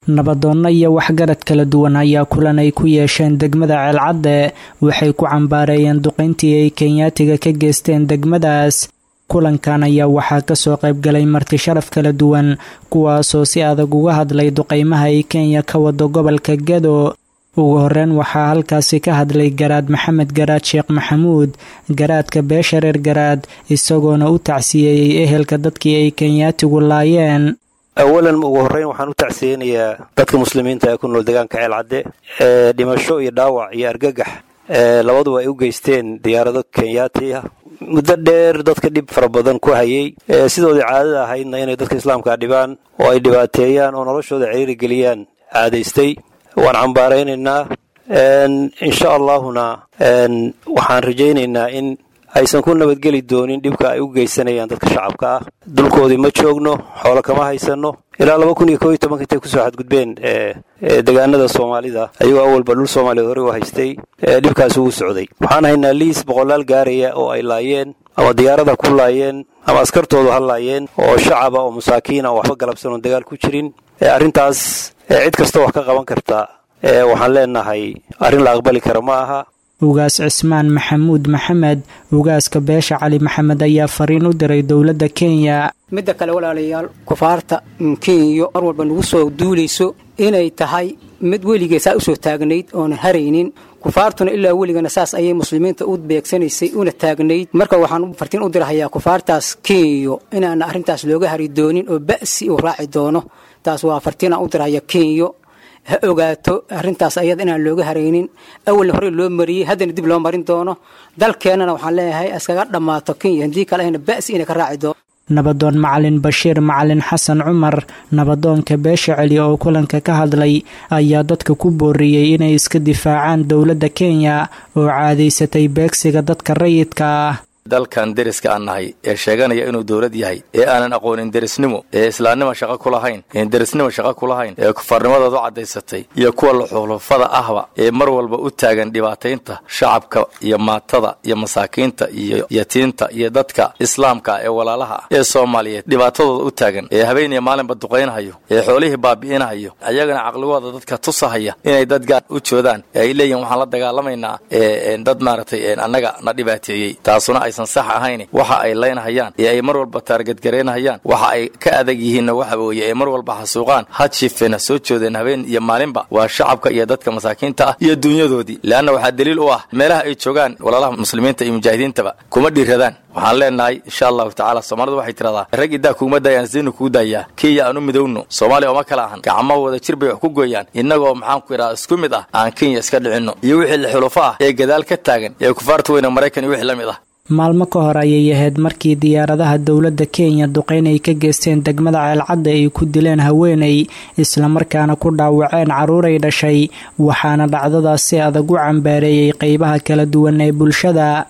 Nabadoonno iyo waxgarad kala duwan ayaa kulan ay ku yeesheen degmada Ceelcadde waxay ku cambaareeyeen duqayntii ay Kenyaatiga ka geysteen degmadaas. Kulankan ayaa waxaa kasoo qaybgalay marti sharaf kala duwan, kuwaasoo si adag uga hadlay duqaymaha ay Kenya ka wado gobolka Gado. Ugu horeyn waxaa halkaasi ka hadlay Garaad Maxamed Garaad Sheekh Maxamuud, garaadka beesha reer Garaad, isagoona u tacsiyeeyey ehelka dadkii ay Kenyaatigu laayeen. Awalan, ugu horreyn, waxaan u tacsiyeynayaa dadka muslimiinta ee ku nool deegaanka Ceelcadde ee dhimasho iyo dhaawac iyo argagax labaduba ay u geysteen diyaarado Kenyaati ah, muddo dheer dadka dhib fara badan ku hayay, sidoodii caadada ahaydna inay dadka islaamkaa dhibaan oo ay dhibaateeyaan oo noloshooda ciriiri geliyaan caadaystay. Waan cambaaraynaynaa, insha Allahuna waxaan rajaynaynaa in aysan ku nabadgeli doonin dhibka ay u geysanayaan dadka shacabka ah. Dulkoodii ma joogno, xoolo kama haysanno. Ilaa 2011-ka intay kusoo xadgudbeen degaanada Soomaalida, ayagoo awalba dhul Soomaaliyeed horey u haystay, dhibkaasi wuu socday. Waxaan haynaa liis boqolaal gaaraya oo ay laayeen, ama diyaarada ku laayeen ama askartoodu ha laayeen, oo shacaba oo masaakiina oo waxba galabsan oon dagaal ku jirin. Arrintaas cid kasta wax ka qaban karta waxaan leenahay, arrin la aqbali kara ma aha. Ugaas Cismaan Maxamuud Maxamed, ugaaska beesha Cali Maxamed, ayaa fariin u diray dowladda Kenya. Midda kale, walaalayaal, kufaarta Kenya mar walba nagu soo duulayso inay tahay mid weligee saa usoo taagnayd oonan haraynin. Kufaartuna ilaa weligana saas ayay muslimiinta u beegsanaysay una taagnayd. Marka waxaan fartiin u dirahayaa kufaartaas Kenya inaana arrintaas looga hari doonin oo ba'si uu raaci doono. Taas waa fartiinaan u dirahaya. Kenya ha ogaato arrintaas ayada inaan looga haraynin. Awalna horey loo mariyey, haddana dib loo marin doono. Dalkeennana waxaan leeyahay iskaga dhammaato Kenya, haddii kale ahna ba'si inay ka raaci doono. Nabadoon Macalin Bashiir Macalin Xasan Cumar, nabadoonka beesha Celi oo kulanka ka hadlay, ayaa dadka ku booriyey inay iska difaacaan dowladda Kenya oo caadaysatay beegsiga dadka rayidka ah. Dalkan deriska aan nahay ee sheeganaya inuu dowlad yahay, ee aanan aqoonin derisnimo, ee islaamnimo shaqo ku lahayn, ee derisnimo shaqo ku lahayn, ee kufaarnimadoodu caddaysatay, iyo kuwa luxulufada ahba, ee mar walba u taagan dhibaataynta shacabka iyo maatada iyo masaakiinta iyo yatiinta iyo dadka islaamka ee walaalaha ah ee Soomaaliyeed dhibaatadooda u taagan, ee habeen iyo maalinba duqaynhayo, ee xoolihii baabi'inahayo, ayagana caqligooda dadka tusahaya inay dad gaar u joodaan, ee ay leeyihin waxaan la dagaalamaynaa dad maaragtay annaga na dhibaateeyey, taasuna aysan sax ahayn. Waxa ay laynahayaan ee ay mar walba taargadgaraynahayaan, waxa ay ka adag yihiinna waxa weeye ay mar walba xasuuqaan, ha jiifeen ha soo joodeen, habeen iyo maalinba, waa shacabka iyo dadka masaakiinta ah iyo dunyadoodii. Leanna waxaa daliil u ah meelaha ay joogaan walaalaha muslimiinta iyo mujaahidiintaba kuma dhiiradaan. Waxaan leenahay, insha Allahu tacaala, Soomaalidu waxay tiradaa rag iddaa kuguma daayaan, siinu kugu daayaa. Kenya aan u midowno, Soomaaliya ooma kala ahan, gacmaha wada jir bay wax ku gooyaan. Innagoo maxaan ku idhaha isku mid ah aan Kenya iska dhicinno iyo wixii la xulufo ah ee gadaal ka taagan ee kufaarta weyne Maraykan iyo wixii la mid ah. Maalmo ka hor ayay ahayd markii diyaaradaha dowladda Kenya duqeyn ay ka geysteen degmada Ceelcadda ay ku dileen haweeney, islamarkaana ku dhaawaceen carruuray dhashay, waxaana dhacdadaas si adag u cambaareeyey qeybaha kala duwan ee bulshada.